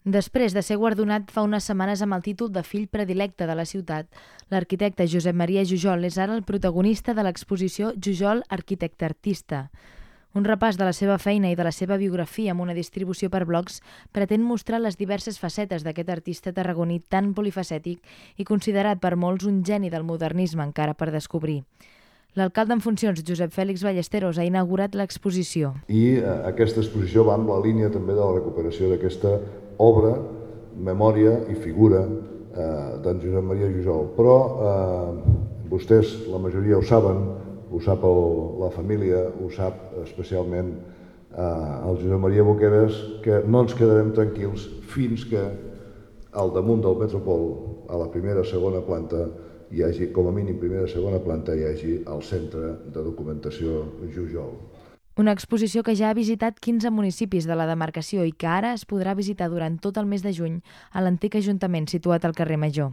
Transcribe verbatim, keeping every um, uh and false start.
Després de ser guardonat fa unes setmanes amb el títol de fill predilecte de la ciutat, l'arquitecte Josep Maria Jujol és ara el protagonista de l'exposició Jujol Arquitecte Artista. Un repàs de la seva feina i de la seva biografia amb una distribució per blocs pretén mostrar les diverses facetes d'aquest artista tarragoní tan polifacètic i considerat per molts un geni del modernisme encara per descobrir. L'alcalde en funcions, Josep Fèlix Ballesteros, ha inaugurat l'exposició. I eh, aquesta exposició va amb la línia també de la recuperació d'aquesta obra, memòria i figura eh, d'en Josep Maria Jujol. Però eh, vostès, la majoria ho saben, ho sap el, la família, ho sap especialment eh, el Josep Maria Boqueras, que no ens quedarem tranquils fins que al damunt del Metropol, a la primera o segona planta, hi hagi, com a mínim primera o segona planta, hi hagi el Centre de Documentació Jujol. Una exposició que ja ha visitat quinze municipis de la demarcació i que ara es podrà visitar durant tot el mes de juny a l'antic ajuntament situat al carrer Major.